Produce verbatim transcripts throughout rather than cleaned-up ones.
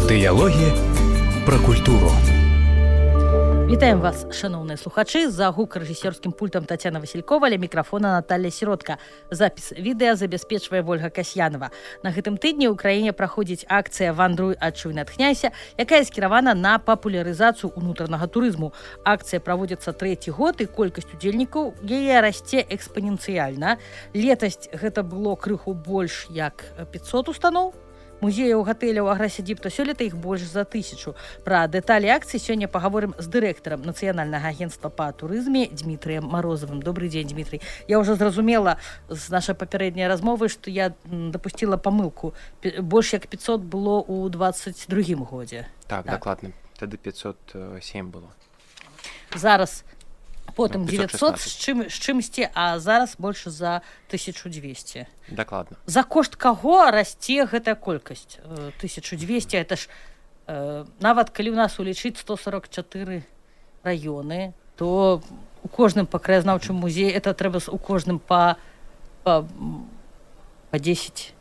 Дыялогі пра культуру. Вітаем вас, шановныя слухачы. За гукарэжысёрскім пультам Тацяна Васількова, ля мікрафона Наталья Сіротка. Запіс відэа забяспечвае Вольга Касьянова. На гэтым тыдні ў краіне праходзіць акцыя «Вандруй, адчуй, натхняйся», якая скіравана на папулярызацыю ўнутранага турызму. Акцыя праводзіцца трэці год, і колькасць удзельнікаў яе расце экспаненцыяльна. Летась гэта было крыху больш як пятьсот устаноў. Музеяў, гатэляў, аграсядзіб, сёлета іх больш за тысячу. Пра дэталі акцыі сёння пагаворым з дырэктарам Нацыянальнага агенцтва па турызме Дмітрыем Марозавым. Добрый дзень, Дмітрый. Я ўжо зразумела з нашай папярэдняй размовы, што я дапусціла памылку. Больш як пятьсот было ў двадцать другім годзе. Так, так, дакладна. Тады пятьсот семь было. Зараз потым девятьсот з чым з чымсьці, а зараз больш за тысячу двести. Дакладна. За кошт каго расце гэтая колькасць? тысяча двести, это ж э, нават калі ў нас улічыць сто сорок четыре раёны, то у кожным па краязнаўчым музеі это трэба у кожным па па, па десять.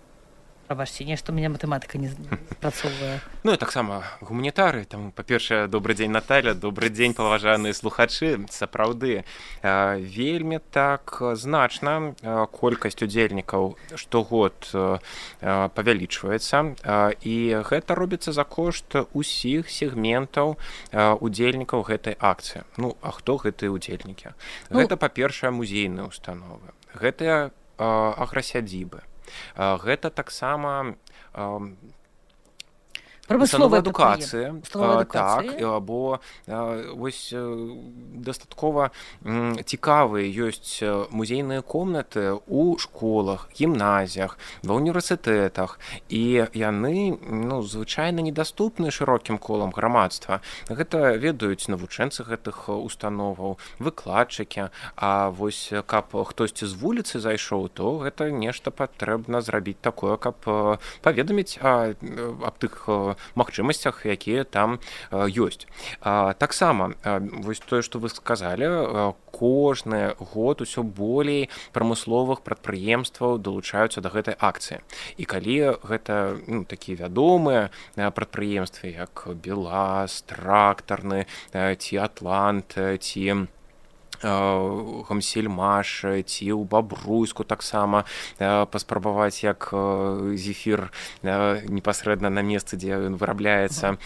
Прабачце, нешта у мяне матэматыка не спрацоўвае. Ну, і таксама гуманітары. Там, па-першае, добры дзень, Наталя, добры дзень, паважаныя слухачы. Сапраўды, вельмі так значна колькасць удзельнікаў штогод павялічваецца, і гэта робіцца за кошт усіх сегментаў удзельнікаў гэтай акцыі. Ну, а хто гэтыя удзельнікі? Ну, гэта, па-першае, музейныя установы. Гэта аграсядзібы. Гэта таксама прамысловая адукацыя, так, бо вось дастаткова цікавыя ёсць музейныя комнаты ў школах, гімназіях, ва універсітэтах, і яны, ну, звычайна недаступны шырокім колам грамадства. Гэта ведаюць навучэнцы гэтых установаў, выкладчыкі, а вось каб хтосьці з вуліцы зайшоў, то гэта нешта патрэбна зрабіць такое, каб паведаміць аб тых магчымасцях, якія там ёсць. Таксама, вось тое, што вы сказалі, кожны год усё болей прамысловых прадпрыемстваў далучаюцца да гэтай акцыі. І калі гэта, ну, такія вядомыя прадпрыемствы, як БелАЗ, Трактарны, ці Атлант, ці Гамсельмаш, ці ў Бабруйску таксама паспрабаваць, як зефір непасрэдна на месцы, дзе ён вырабляецца,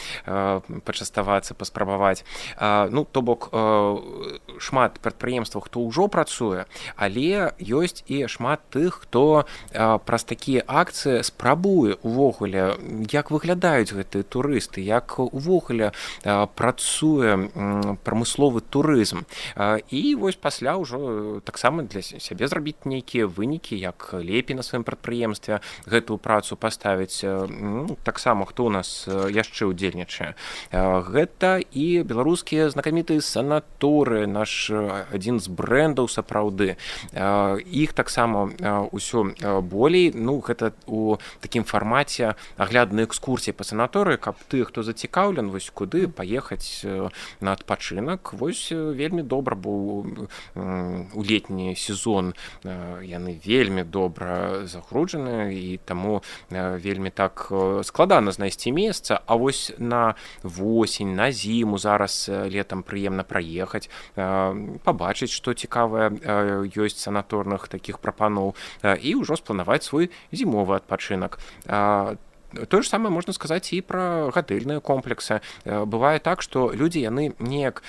пачаставацца, паспрабаваць. Ну, то бок, шмат прадпрыемстваў, хто ўжо працуе, але ёсць і шмат тых, хто праз такія акцыі спрабуе увогуле, як выглядаюць гэтыя турысты, як увогуле працуе прамысловы турызм. І І вось пасля ўжо таксама для сябе зрабіць нейкія вынікі, як лепей на сваім прадпрыемстве гэтую працу паставіць. Ну, таксама хто у нас яшчэ ўдзельнічае. Гэта і беларускія знакамітыя санаторыі, наш адзін з брэндаў сапраўды. Іх таксама ўсё болей. Ну, гэта у такім фармаце агляднай экскурсіі па санаторыі, каб ты, хто зацікаўлен, вось куды паехаць на адпачынак. Вось вельмі добра, бо у летні сезон яны вельмі добра загружаны, і таму вельмі так складана знайсці месца. А вось на восень, на зіму зараз летам прыемна праехаць, пабачыць, што цікавае ёсць санаторных такіх прапаноў, і ўжо спланаваць свой зімовы адпачынак. Тое ж самае можна сказаць і пра гатэльныя комплексы. Бывае так, што людзі яны неяк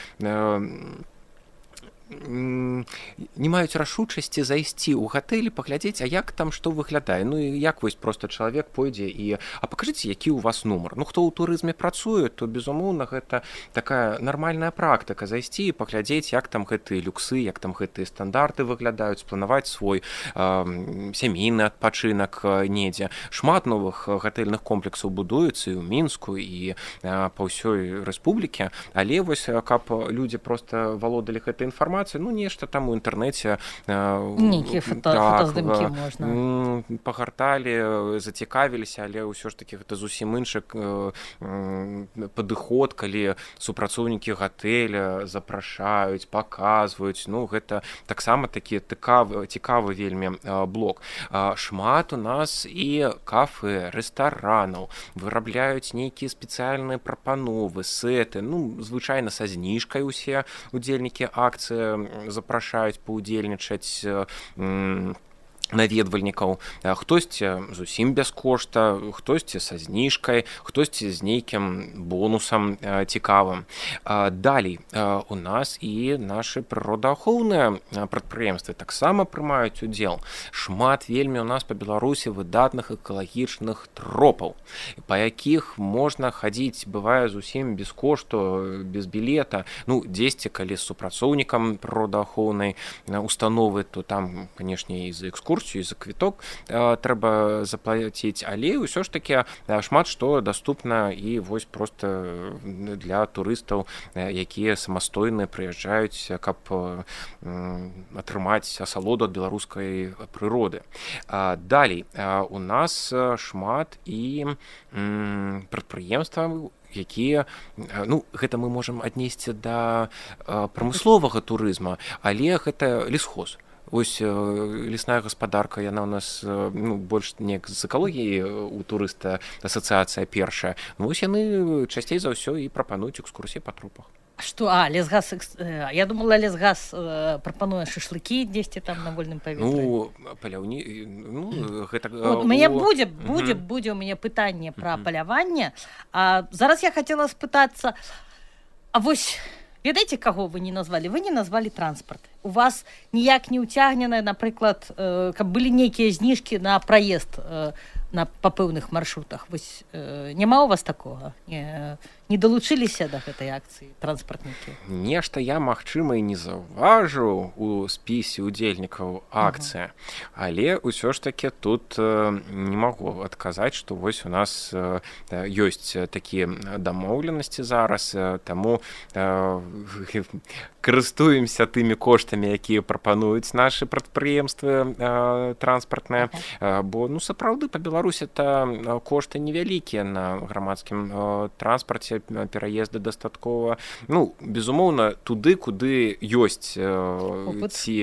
не маюць рашучасці зайсці ў гатэлі, паглядзець, а як там што выглядае. Ну і як вось проста чалавек пойдзе і а пакажыце, які ў вас нумар. Ну, хто ў турызме працуе, то безумоўна гэта такая нармальная практыка зайсці і паглядзець, як там гэтыя люксы, як там гэтыя стандарты выглядаюць, спланаваць свой э, сямейны адпачынак недзе. Шмат новых гатэльных комплексаў будуецца і ў Мінску, і э, па ўсёй рэспубліке, але вось каб людзі проста валодалі гэтай інфармацыяй, інфармацыя, ну нешта там у інтэрнэце нейкія фотаздымкі можна пагарталі, зацікавіліся, але ўсё ж таки гэта зусім іншы падыход, калі супрацоўнікі гатэля запрашаюць, паказваюць, ну гэта таксама такі цікавы, цікавы вельмі блок. Шмат у нас і кафэ, рэстаранаў, вырабляюць нейкія спецыяльныя прапановы, сэты, ну звычайна са зніжкай усе удзельнікі акцыі запрашаюць паўдзельнічаць наведвальнікаў, хтосьці зусім без кошта, хтосьці са зніжкай, хтосьці з нейкім бонусам цікавым. Далей у нас і нашы прыродаахоўныя прадпрыемствы таксама прымаюць удзел. Шмат вельмі у нас па Беларусі выдатных экалагічных тропаў, па якіх можна хадзіць, бывае зусім без кошту, без білета. Ну, дзесьці, калі з супрацоўнікам прыродаахоўнай установы, то там, канешне, і за экскурсію, і за квіток трэба заплаціць, але ўсё ж такі шмат што даступна і вось проста для турыстаў, якія самастойна прыязджаюць, каб атрымаць асалоду ад беларускай прыроды. Далей у нас шмат і прадпрыемстваў, якія, ну, гэта мы можам аднесці да прамысловага турызма, але гэта лесхоз. Вось лесная гаспадарка, яна ў нас ну, больш неяк з экалогіяй у турыста асацыяцыя першая. Ну, вось яны часцей за ўсё і прапануюць экскурсіі па тропах. Што, а, лесгаз, я думала, лесгаз прапануе шашлыкі дзесьці там на вольным паветры. Ну, паляўні, ну, гэта... У мяне будзе, будзе, будзе ў мяне пытанне пра паляванне. А зараз я хацела спытацца, а вось... Ведаеце, каго вы не назвалі? Вы не назвалі транспарт. У вас ніяк не ўцягнена, напрыклад, э, каб былі нейкія зніжкі на праезд э, на па пэўных маршрутах. Вось э, няма у вас такога? Не, не далучыліся да гэтай акцыі транспартнікі? Нешта я, магчыма, і не заўважыў у спісе удзельнікаў акцыі, uh-huh. але ўсё ж такі тут э, не магу адказаць, што вось у нас э, ёсць такія дамоўленасці зараз, э, таму э, карыстуемся тымі коштамі, якія прапануюць нашы прадпрыемствы э, транспартныя, uh-huh. бо ну сапраўды па Беларусі та кошты невялікія на грамадскім э, транспарце, пераезды дастаткова, ну безумоўна туды, куды ёсць э, ці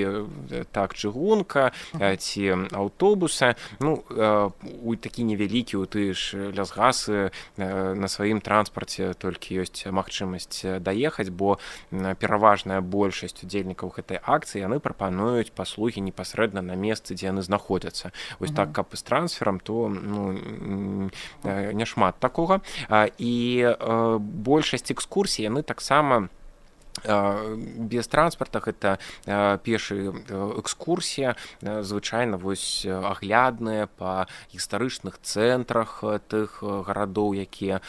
так чыгунка, uh-huh. ці аўтобусы, ну э, у такі невялікі у ты ж лясгасы э, на сваім транспарце толькі ёсць магчымасць даехаць, бо пераважная большасць удзельнікаў гэтай акцыі яны прапануюць паслугі непасрэдна на месцы, дзе яны знаходзяцца. Вось uh-huh. так, каб з трансферам, то ну, няшмат такога. І большасць экскурсій яны таксама без транспарта, гэта пешы экскурсія, звычайна вось аглядныя па гістарычных цэнтрах тых гарадоў, якія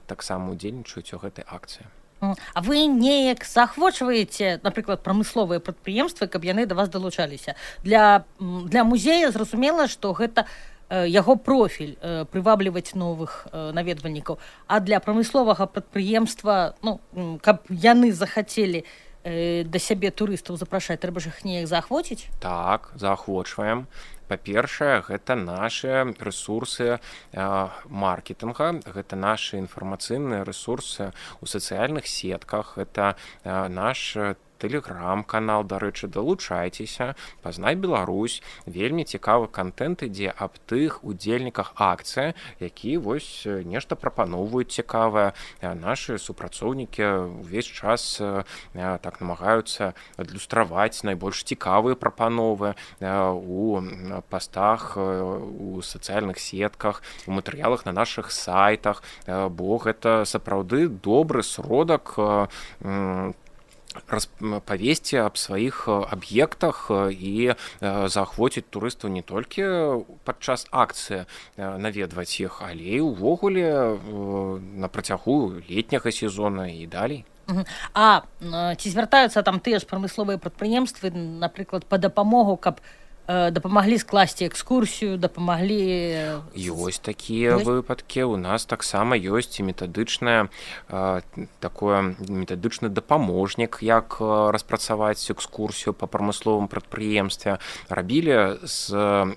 таксама ўдзельнічаюць у гэтай акцыі. А вы неяк заахвочваеце, напрыклад, прамысловыя прадпрыемствы, каб яны да вас далучаліся? Для, для музея зразумела, што гэта яго профіль прывабліваць новых наведвальнікаў, а для прамысловага прадпрыемства, ну, каб яны захацелі да сябе турыстаў запрашаць, трэба ж іх неяк заахвоціць? Так, заахвочваем. Па-першае, гэта нашы рэсурсы маркетинга, гэта нашы інфармацыйныя рэсурсы ў сацыяльных сетках, гэта наш тэлеграм-канал, дарэчы, далучайцеся, пазнай Беларусь, вельмі цікавы контент ідзе аб тых удзельніках акцыі, які вось нешта прапаноўваюць цікавае. Нашы супрацоўнікі ўвесь час так намагаюцца адлюстраваць найбольш цікавыя прапановы у пастах, у сацыяльных сетках, у матэрыялах на нашых сайтах, бо гэта сапраўды добры сродак павесці аб сваіх аб'ектах і заахвоціць турыстаў не толькі падчас акцыі наведваць іх, але і ўвогуле на працягу летняга сезона і далей. А ці звяртаюцца там тыя ж прамысловыя прадпрыемствы, напрыклад, па дапамогу, каб дапамаглі скласці экскурсію, дапамаглі... Ёсць такія ёсць? Выпадкі. У нас таксама ёсць і метадычная такое метадычны дапаможнік, як распрацаваць экскурсію па прамысловым прадпрыемстве. Рабілі з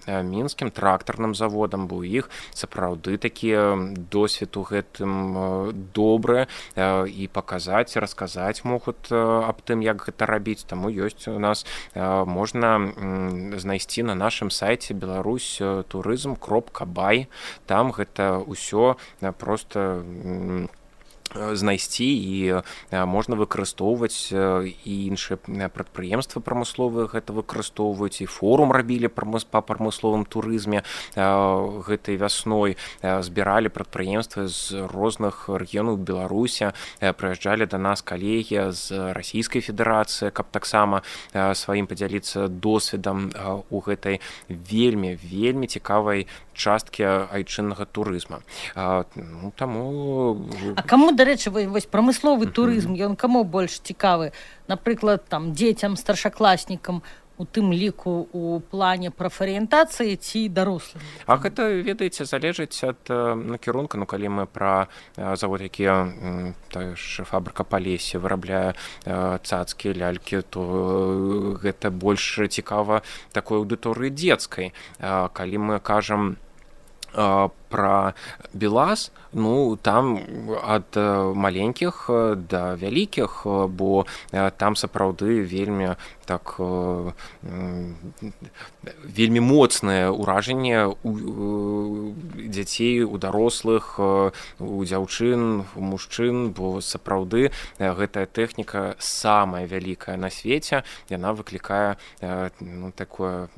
мінскім трактарным заводам, бо у іх сапраўды такі досвед у гэтым добры і паказаць, расказаць могуць аб тым, як гэта рабіць. Таму ёсць у нас, можна знайсці на нашым сайце беларусь турызм кропка бай. Там гэта ўсё проста знайсці і можна выкарыстоўваць, і іншыя прадпрыемствы прамысловыя гэта выкарыстоўваюць, і форум рабілі па прамысловым турызме гэтай вясной, збіралі прадпрыемствы з розных рэгіёнаў Беларусі, прыязджалі да нас калегі з Расійскай Федэрацыі, каб таксама сваім падзяліцца досведам у гэтай вельмі вельмі цікавай часткі айчыннага турызма. Ну, таму... А каму, дарэчы, вось прамысловы турызм, ён каму больш цікавы? Напрыклад, там, дзецям, старшакласнікам, у тым ліку у плане прафарыентацыі ці дарослым? А гэта, ведаеце, залежыць ад накірунка. Ну, калі мы пра завод, які тая ж фабрыка Палесе вырабляе цацкі, лялькі, то гэта больш цікава такой аўдыторыі дзецкай. Калі мы кажам пра БелАЗ, ну, там ад маленькіх да вялікіх, бо там сапраўды вельмі так вельмі моцнае ўражанне у дзяцей, у дарослых, у дзяўчын, у мужчын, бо сапраўды гэтая тэхніка самая вялікая на свеце, яна выклікае, ну, такое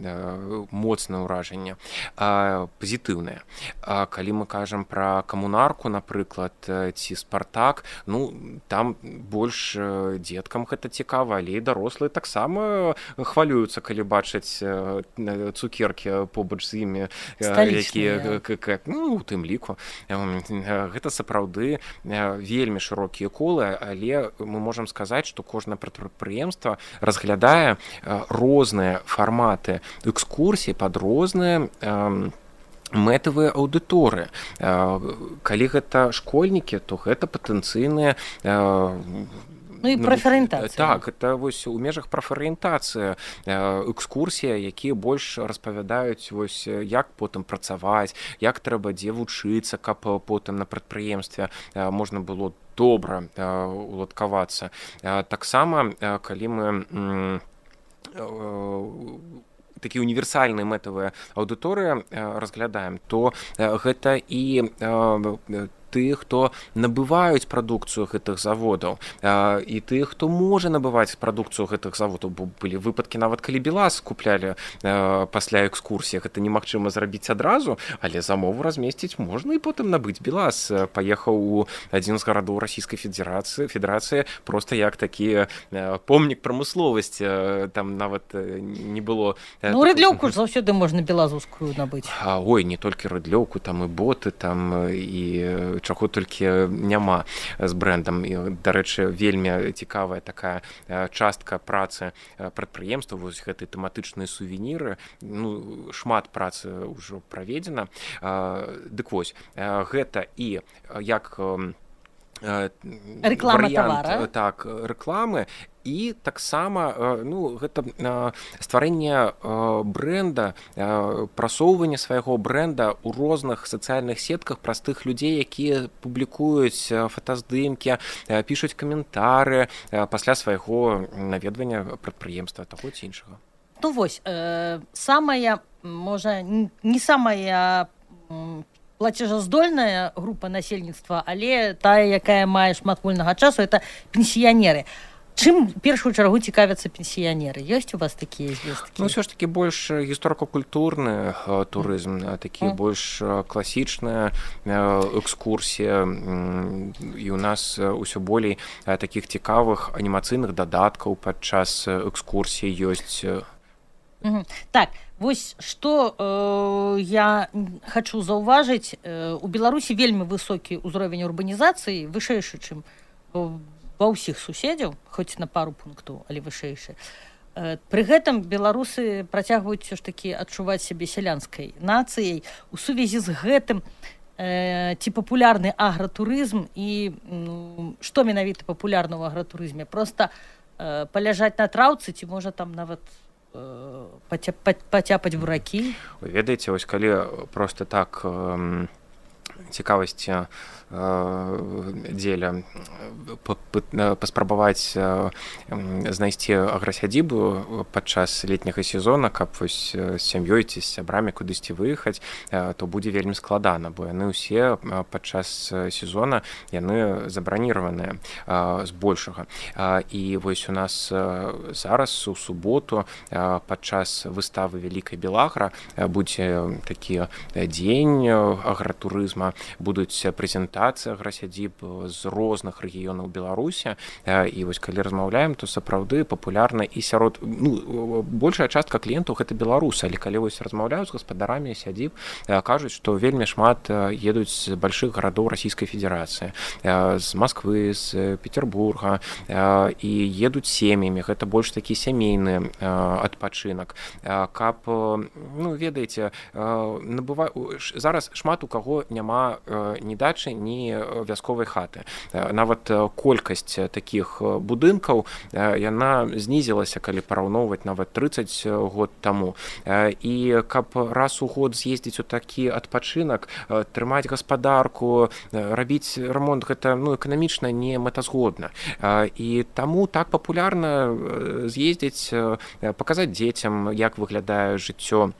моцнае ўражанне, пазітыўнае. Калі мы кажам пра камунарку, напрыклад, ці Спартак, ну, там больш дзеткам гэта цікава, але і дарослыя таксама хвалююцца, калі бачаць цукеркі побач з імі, якія, ну, у тым ліку. Гэта сапраўды вельмі шырокія колы, але мы можам сказаць, што кожнае прадпрыемства разглядае розныя фарматы экскурсій пад розныя мэтавыя аўдыторыі. Калі гэта школьнікі, то гэта патэнцыйныя... Ну і прафарыентацыя. Так, это вось у межах прафарыентацыя, экскурсія, якія больш распавядаюць, вось, як потым працаваць, як трэба дзе вучыцца, каб потым на прадпрыемстве можна было добра уладкавацца. Таксама, калі мы такія універсальныя мэтавыя аўдыторыі разглядаем, то гэта і тых, хто набываюць прадукцыю гэтых заводаў, і тых, хто можа набываць прадукцыю гэтых заводаў, бо былі выпадкі, нават калі БелАЗ куплялі пасля экскурсіі, гэта немагчыма зрабіць адразу, але замову размесціць можна і потым набыць. БелАЗ паехаў у адзін з гарадоў Расійскай Федэрацыі, Федэрацыі проста як такі помнік прамысловасці, там нават не было... Ну, рыдлёўку ж заўсёды можна белазускую набыць. Ой, не толькі рыдлёўку, там і боты, там і чаго толькі няма з брэндам. І, дарэчы, вельмі цікавая такая частка працы прадпрыемства, вось гэты тэматычныя сувеніры, ну, шмат працы ўжо праведзена. Дык вось, гэта і як рэклама тавара. Так, рэкламы, і таксама, ну, гэта стварэнне брэнда, прасоўванне свайго брэнда ў розных сацыяльных сетках праз тых людзей, якія публікуюць фотаздымкі, пішуць каментары пасля свайго наведвання прадпрыемства, таго ці іншага. Ну вось, самая, можа, не самая плацежаздольная група насельніцтва, але тая, якая мае шмат вольнага часу, это пенсіянеры. Чым першую чаргу цікавяцца пенсіянеры? Ёсць у вас такія звесткі? Ну, ўсё ж такі больш гісторыка-культурны турызм, такі больш класічная экскурсія, і у нас усё болей такіх цікавых анімацыйных дадаткаў падчас экскурсіі ёсць. Так, вось што э, я хачу заўважыць, э, у Беларусі вельмі высокі ўзровень урбанізацыі, вышэйшы, чым ва ўсіх суседзяў, хоць на пару пунктаў, але вышэйшы. Пры гэтым беларусы працягваюць ўсё ж такі адчуваць сябе сялянскай нацыяй. У сувязі з гэтым ці папулярны агратурызм і ну, што менавіта папулярна ў агратурызме? Проста паляжаць на траўцы ці можа там нават пацяпаць буракі? Вы ведаеце, вось калі проста так цікавасці дзеля паспрабаваць знайсці аграсядзібу падчас летняга сезона, каб вось з сям'ёй ці з сябрамі кудысьці выехаць, то будзе вельмі складана, бо яны ўсе падчас сезона яны забраніраваныя збольшага. І вось у нас зараз у суботу падчас выставы Вялікай Белагра будзе такі дзень агратурызма, будуць прэзентацыі аграсядзіб з розных рэгіёнаў Беларусі, і вось калі размаўляем, то сапраўды папулярна і сярод, ну, большая частка кліентаў гэта беларусы, але калі вось размаўляюць з гаспадарамі сядзіб, кажуць, што вельмі шмат едуць з большых гарадоў Расійскай Федэрацыі, з Масквы, з Петербурга, і едуць сем'ямі, гэта больш такі сямейны адпачынак. Каб, ну, ведаеце, набыва... зараз шмат у каго няма ні дачы, ні вясковай хаты. Нават колькасць такіх будынкаў, яна знізілася, калі параўноўваць нават трыццаць год таму. І каб раз у год з'ездзіць у такі адпачынак, трымаць гаспадарку, рабіць рамонт, гэта, ну, эканамічна не мэтазгодна. І таму так папулярна з'ездзіць, паказаць дзецям, як выглядае жыццё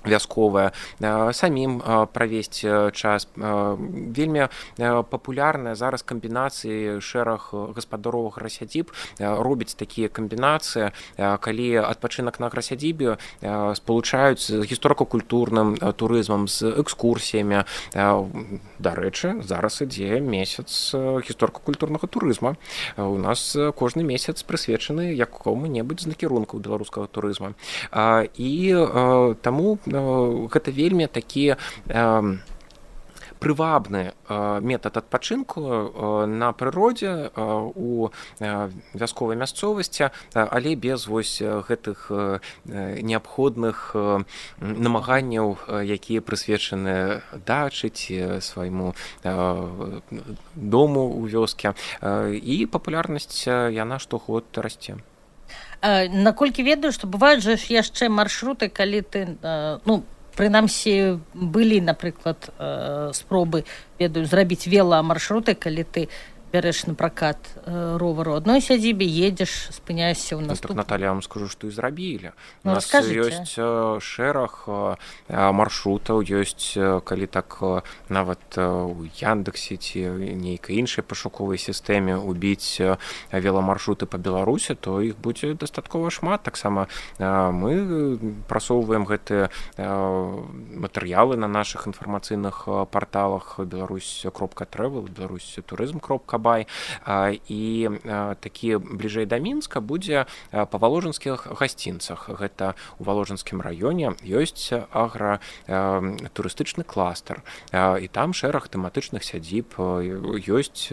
вясковая, самім правесці час. Вельмі папулярная зараз камбінацыі, шэраг гаспадароў аграсядзіб робяць такія камбінацыі, калі адпачынак на аграсядзібе спалучаюць з гісторыка-культурным турызмам, з экскурсіямі. Дарэчы, зараз ідзе месяц гісторыка-культурнага турызма. У нас кожны месяц прысвечаны якому-небудзь з накірункаў беларускага турызма. І таму гэта вельмі такі прывабны метад адпачынку на прыродзе, у вясковай мясцовасці, але без вось гэтых неабходных намаганняў, якія прысвечаны дачы ці свайму дому ў вёске. І папулярнасць яна штогод расце. Наколькі ведаю, што бываюць жа яшчэ маршруты, калі ты, ну, прынамсі, былі, напрыклад, спробы, ведаю, зрабіць веламаршруты, калі ты бярэш на пракат ровару адной сядзібе, едзеш, спыняешся ў наступную. Ну, так, Наталья, я вам скажу, што і зрабілі. У нас ёсць шэраг маршрутаў, ёсць, калі так нават у Яндексе ці нейкай іншай пашуковай сістэме убіць веламаршруты па Беларусі, то іх будзе дастаткова шмат. Таксама мы прасоўваем гэтыя матэрыялы на нашых інфармацыйных парталах беларусь кропка трэвел, беларусь турызм кропка бай, і такі бліжэй да Мінска будзе па валожынскіх гасцінцах. Гэта ў валожынскім раёне ёсць агратурыстычны кластер, і там шэраг тэматычных сядзіб, ёсць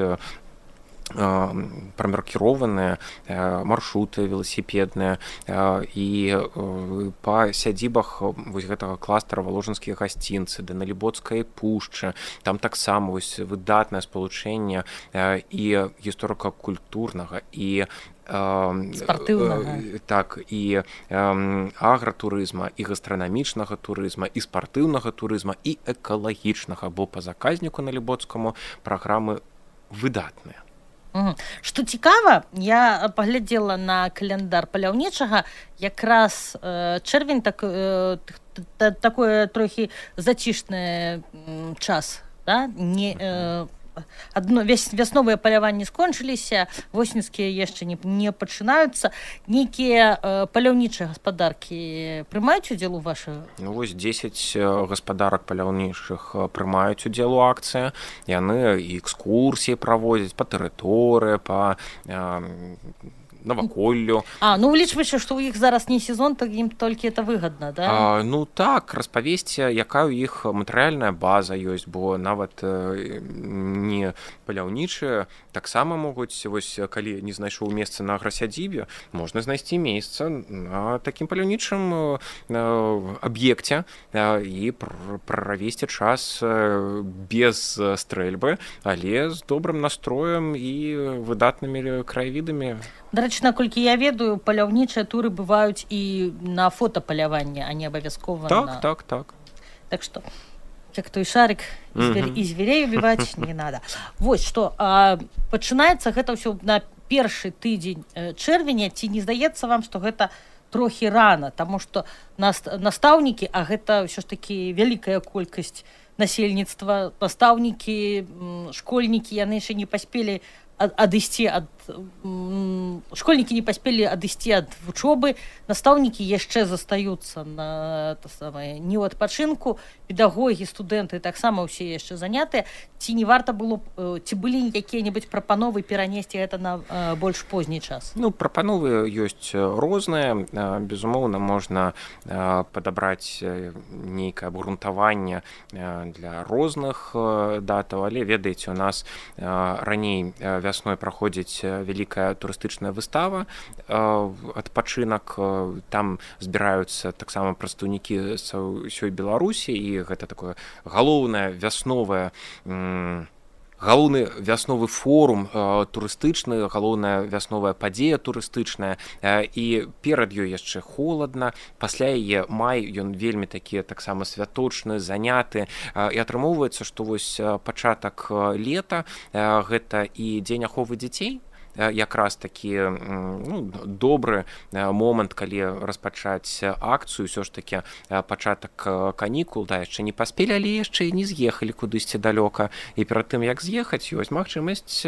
прамаркіраваныя маршруты веласіпедныя, і па сядзібах вось гэтага кластера валожынскія гасцінцы, Даналібоцкай пушчы, там таксама вось выдатнае спалучэнне і гісторыка-культурнага, і спартыўнага, так, і агратурызма, і гастранамічнага турызма, і спартыўнага турызма, і экалагічнага, бо па заказніку Налібоцкаму праграмы выдатныя. Што цікава, я паглядзела на каляндар паляўнічага, якраз чэрвень так, такое трохі зацішны час, да? Не, адно, вясновыя паляванні скончыліся, восеньскія яшчэ не, не пачынаюцца. Нейкія паляўнічыя гаспадаркі прымаюць удзел у вашай? Ну вось дзесяць гаспадарак паляўнічых прымаюць удзел у акцыі. Яны і экскурсіі праводзяць па тэрыторыі, па наваколлю. А, ну улічваючы, што ў іх зараз не сезон, то ім толькі это выгадна, да? А, ну так, распавесці, якая ў іх матэрыяльная база ёсць, бо нават э, не паляўнічыя таксама могуць, вось калі не знайшоў месца на аграсядзібе, можна знайсці месца на такім паляўнічым э, аб'екце э, і пр правесці час э, без стрэльбы, але з добрым настроем і выдатнымі краявідамі. Дарэчы, наколькі я ведаю, паляўнічыя туры бываюць і на фотапаляванне, а не абавязкова так, на... Так, так, так что, як той шарик, і звер... mm-hmm. зверей убіваць не надо. Вось, што, а, пачынаецца гэта ўсё на першы тыдзень чэрвеня, ці не здаецца вам, што гэта трохі рана, таму што настаўнікі, а гэта ўсё ж такі вялікая колькасць насельніцтва, настаўнікі, школьнікі, яны яшчэ не паспелі адысці ад школьнікі не паспелі адысці ад вучобы, настаўнікі яшчэ застаюцца на то самае не ў адпачынку, педагогі, студэнты таксама ўсе яшчэ занятыя. Ці не варта было ці былі якія-небудзь прапановы перанесці гэта на больш позні час? Ну, прапановы ёсць розныя. Безумоўна, можна падабраць нейкае абгрунтаванне для розных датаў, але ведаеце, у нас раней вясной праходзіць вялікая турыстычная выстава, адпачынак, там збіраюцца таксама прадстаўнікі з ўсёй Беларусі, і гэта такое галоўнае вясновае галоўны вясновы форум э, турыстычны, галоўная вясновая падзея турыстычная, э, і перад ёй яшчэ холадна, пасля яе май, ён вельмі такі таксама святочны, заняты, э, і атрымоўваецца, што вось пачатак лета э, гэта і дзень аховы дзяцей, якраз такі ну, добры момант, калі распачаць акцыю, ўсё ж такі пачатак канікул, да, яшчэ не паспелі, але яшчэ не з'ехалі кудысьці далёка, і перад тым, як з'ехаць, ёсць магчымасць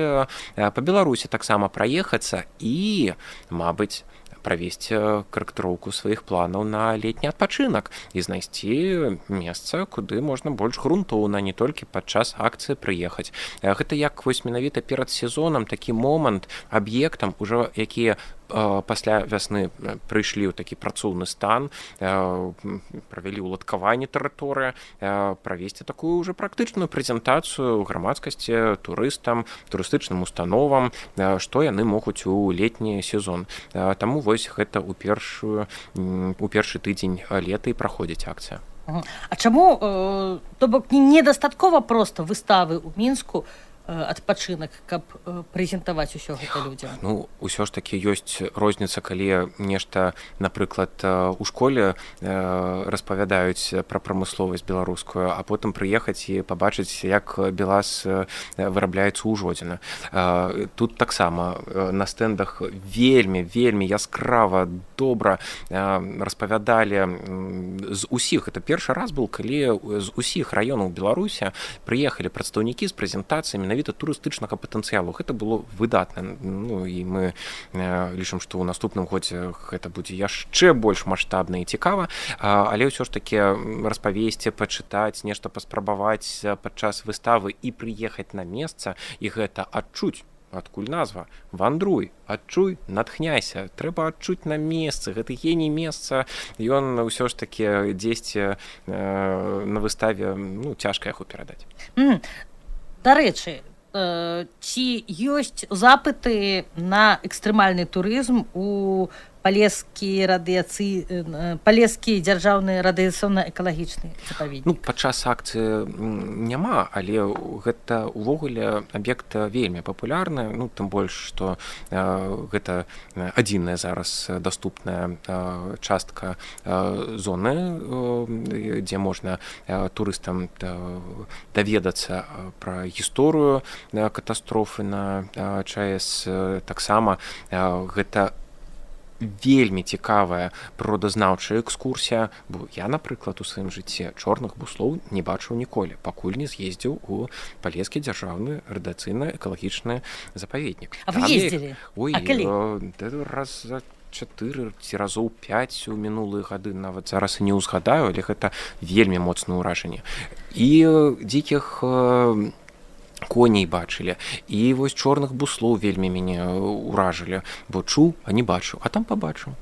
па Беларусі таксама праехацца і, мабыць, правесці карэктыроўку сваіх планаў на летні адпачынак і знайсці месца, куды можна больш грунтоўна, не толькі падчас акцыі прыехаць. Гэта як вось менавіта перад сезонам такі момант аб'ектам, ужо якія пасля вясны прыйшлі ў такі працоўны стан, правялі ўладкаванне тэрыторыі, правесці такую ўжо практычную прэзентацыю грамадскасці, турыстам, турыстычным установам, што яны могуць у летні сезон. Таму вось гэта ў першую у першы тыдзень лета і праходзіць акцыя. А чаму, то бок, недастаткова проста выставы ў Мінску, адпачынак, каб прэзентаваць усё гэта людзям? Ну, усё ж такі ёсць розніца, калі нешта, напрыклад, у школе распавядаюць пра прамысловасць беларускую, а потым прыехаць і пабачыць, як БелАЗ вырабляецца ў Жодзіна. Тут таксама на стэндах вельмі, вельмі яскрава, добра распавядалі з усіх. Это першы раз быў, калі з усіх раёнаў Беларусі прыехалі прадстаўнікі з прэзентацыямі менавіта турыстычнага патэнцыялу. Гэта было выдатна. Ну, і мы э, лічым, што ў наступным годзе гэта будзе яшчэ больш маштабна і цікава, але ўсё ж такі распавесці, пачытаць, нешта паспрабаваць падчас выставы і прыехаць на месца, і гэта адчуць. Адкуль назва? Вандруй, адчуй, натхняйся. Трэба адчуць на месцы. Гэты геній месца, ён ўсё ж такі дзесьці э, на выставе, ну, цяжка яго перадаць. Mm. Дарэчы, э, ці ёсць запыты на экстрэмальны турызм у палескі радыяцыі палескі дзяржаўны радыяцыйна-экалагічны запаведнік? Ну, падчас акцыі няма, але гэта ўвогуле аб'ект вельмі папулярны, ну, тым больш, што э, гэта адзіная зараз даступная э, частка э, зоны, э, дзе можна э, турыстам э, даведацца пра гісторыю э, катастрофы на э, ЧАЭС. Э, таксама э, гэта вельмі цікавая прыродазнаўчая экскурсія, бо я, напрыклад, у сваім жыцці чорных буслоў не бачыў ніколі, пакуль не з'ездзіў у палескі дзяржаўны радыяцыйна-экалагічны запаведнік. А вы ездзілі? Ой, а калі? Э, раз за чатыры ці разоў пяць у мінулыя гады, нават зараз і не ўзгадаю, але гэта вельмі моцнае ўражанне. І дзікіх коней бачылі, і вось чорных буслоў вельмі мяне ўражылі, бо чуў, а не бачыў, а там пабачыў.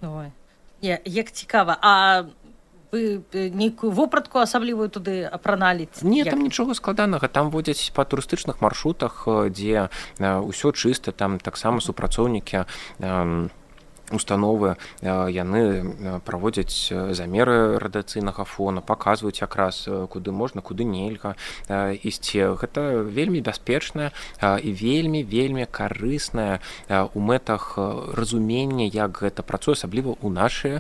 Ой, як цікава. А вы нейкую вопратку асаблівую туды апраналі? Не, там нічога складанага, там водзяць па турыстычных маршрутах, дзе ўсё чыста, там таксама супрацоўнікі установы, яны праводзяць замеры радыяцыйнага фона, паказваюць якраз, куды можна, куды нельга ісці. Гэта вельмі бяспечная і вельмі вельмі карысная у мэтах разумення, як гэта працуе, асабліва ў нашыя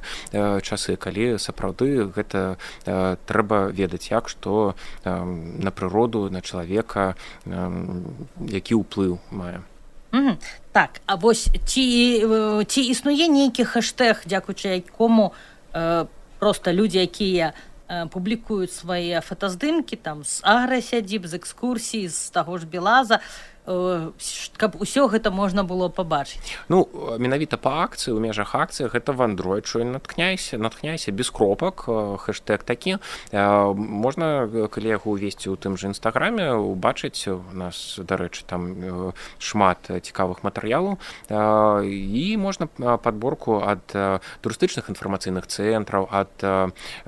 часы, калі сапраўды гэта трэба ведаць, як што на прыроду, на чалавека, які ўплыў мае. Mm-hmm. Так, а вось ці, ці існуе нейкі хэштэг, дзякуючы якому э, проста людзі, якія э, публікуюць свае фотаздымкі там з аграсядзіб, з экскурсій, з таго ж Белаза, каб усё гэта можна было пабачыць? Ну, менавіта па акцыі, у межах акцыі гэта вандруй, чуй, натхняйся, натхняйся без кропак, хэштэг такі. Можна, калі яго ўвесці ў тым жа інстаграме, убачыць, у нас, дарэчы, там шмат цікавых матэрыялаў, і можна падборку ад турыстычных інфармацыйных цэнтраў, ад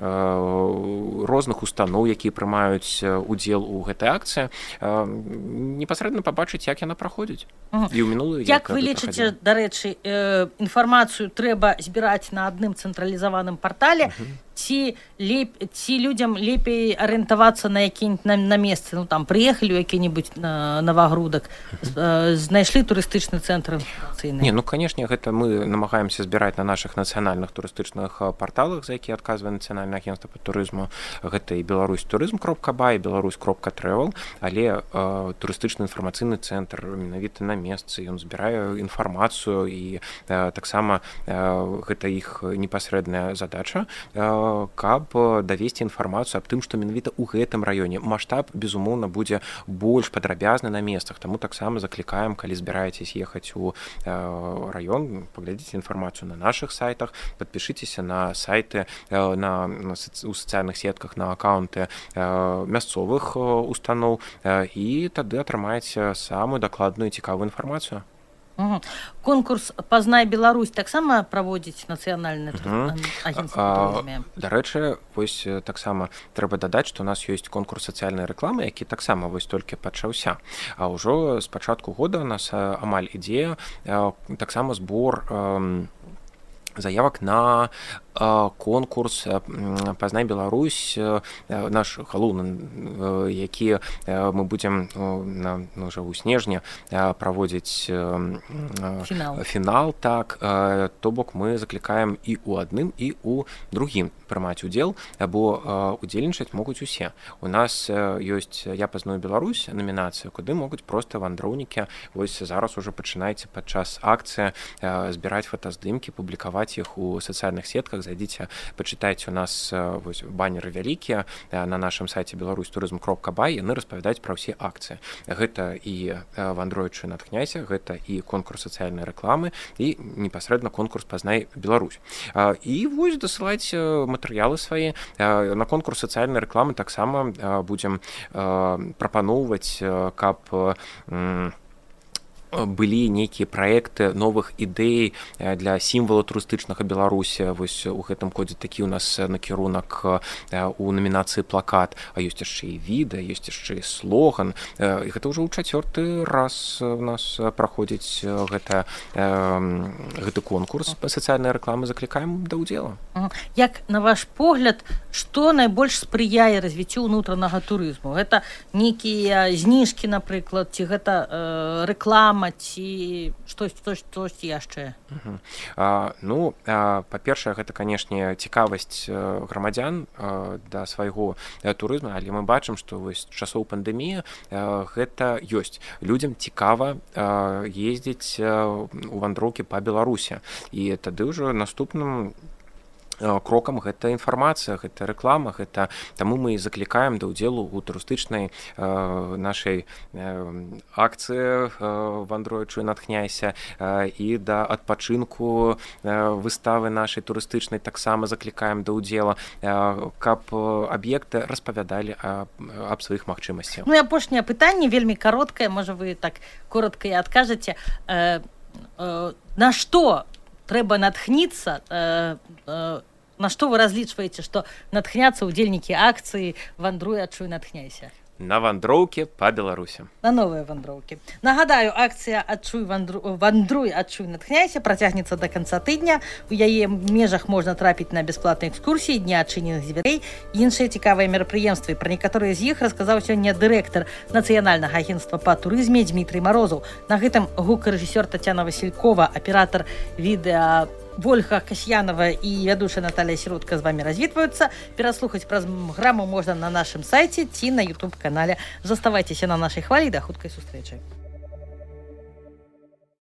розных устаноў, якія прымаюць удзел у гэтай акцыі, непасрэдна пабачыць, як яна праходзіць. Угу. І ў мінулую, як вы лічыце, дарэчы, э, інфармацыю трэба збіраць на адным цэнтралізаваным партале, угу. ці, леп... ці людзям лепей арыентавацца на які-нибудь на, на месцы, ну там прыехалі ў які-нибудь на Новагрудак, э, знайшлі турыстычны цэнтр інфармацыйны? Не, ну, канешне, гэта мы намагаемся збіраць на нашых нацыянальных турыстычных парталах, за якія адказвае Нацыянальнае агенцтва па турызму. Гэта і беларусь турызм кропка бай, беларусь кропка трэвел, але э, турыстычны інфармацыйны цэнтр менавіта на месцы, ён збірае інфармацыю, і э, таксама э, гэта іх непасрэдная задача, э, каб давесці інфармацыю аб тым, што менавіта ў гэтым раёне маштаб, безумоўна, будзе больш падрабязны на месцах. Таму таксама заклікаем, калі збіраецесь ехаць у э, раён, паглядзіце інфармацыю на нашых сайтах, падпішыцеся на сайты, э, на, на у сацыяльных сетках, на аккаунты э, мясцовых э, устаноў, э, і тады атрымаеце самую дакладную і цікавую інфармацыю. Угу. Конкурс «Пазнай Беларусь» таксама праводзіць Нацыянальнае угу. агенцтва турызму? Дарэчы, вось таксама трэба дадаць, што у нас ёсць конкурс сацыяльнай рэкламы, які таксама вось толькі пачаўся. А ўжо з пачатку года у нас амаль ідзе таксама збор заявак на конкурс «Пазнай Беларусь», наш галоўны, які мы будзем на, ну, ўжо ў снежні праводзіць фінал. фінал, так, то бок мы заклікаем і ў адным, і ў другім прымаць удзел, бо удзельнічаць могуць усе. У нас ёсць «Я пазнаю Беларусь» намінацыя, куды могуць проста вандроўнікі, вось зараз ужо пачынайце падчас акцыі збіраць фотаздымкі, публікаваць іх у сацыяльных сетках. Зайдзіце, пачытайце, у нас вось баннеры вялікія на нашым сайце беларусь турызм кропка бай, яны распавядаюць пра ўсе акцыі. Гэта і вандруючы натхняйся, гэта і конкурс сацыяльнай рэкламы, і непасрэдна конкурс «Пазнай Беларусь». І вось дасылаць матэрыялы свае. На конкурс сацыяльнай рэкламы таксама будзем прапаноўваць, каб былі нейкія праекты новых ідэй для сімвала турыстычнага Беларусі. Вось у гэтым годзе такі у нас накірунак у намінацыі плакат, а ёсць яшчэ і відэа, ёсць яшчэ і слоган. І гэта ўжо ў чацвёрты раз у нас праходзіць гэта, гэты конкурс па сацыяльнай рэкламы. Заклікаем да ўдзела. Як, на ваш погляд, што найбольш спрыяе развіццю ўнутранага турызму? Гэта нейкія зніжкі, напрыклад, ці гэта э, рэклама, ці штось яшчэ? Uh-huh. А, ну, а, па-першае, гэта, канешне, цікавасць грамадзян а, да свайго а, турызму, але мы бачым, што вось часоў пандэміі а, гэта ёсць. Людзям цікава а, ездзіць а, у вандроўкі па Беларусі. І тады ўжо наступным крокам гэта інфармацыя, гэта рэклама, гэта таму мы заклікаем да ўдзелу ў турыстычнай э, нашай э, акцыі э, «Вандруй, адчуй, натхняйся» э, і да адпачынку э, выставы нашай турыстычнай таксама заклікаем да ўдзела, э, каб аб'екты распавядалі аб, аб сваіх магчымасцях. Ну і апошняе пытанне вельмі кароткае, можа вы так коротка і адкажаце, э, э, на што трэба натхніцца, э, э, на што вы разлічваеце, што натхняцца ўдзельнікі акцыі «Вандруй, адчуй, натхняйся»? На вандроўкі па Беларусі. На новыя вандроўкі. Нагадаю, акцыя «Адчуй, вандру... «Вандруй, адчуй, натхняйся» працягнецца да канца тыдня. У яе межах можна трапіць на бясплатныя экскурсіі, дні адчыненых дзвярэй і іншыя цікавыя мерапрыемствы. Пра некаторыя з іх расказаў сёння дырэктар Нацыянальнага агенцтва па турызме Дмітрый Марозаў. На гэтым гукарэжысёр Тацяна Васількова, аператар відэа Вольга Касьянова і вядучая Наталья Сіротка з вамі развітваюцца. Пераслухаць праграму можна на нашым сайце ці на ютуб-канале. Заставайцеся на нашай хвалі, да хуткай сустрэчы.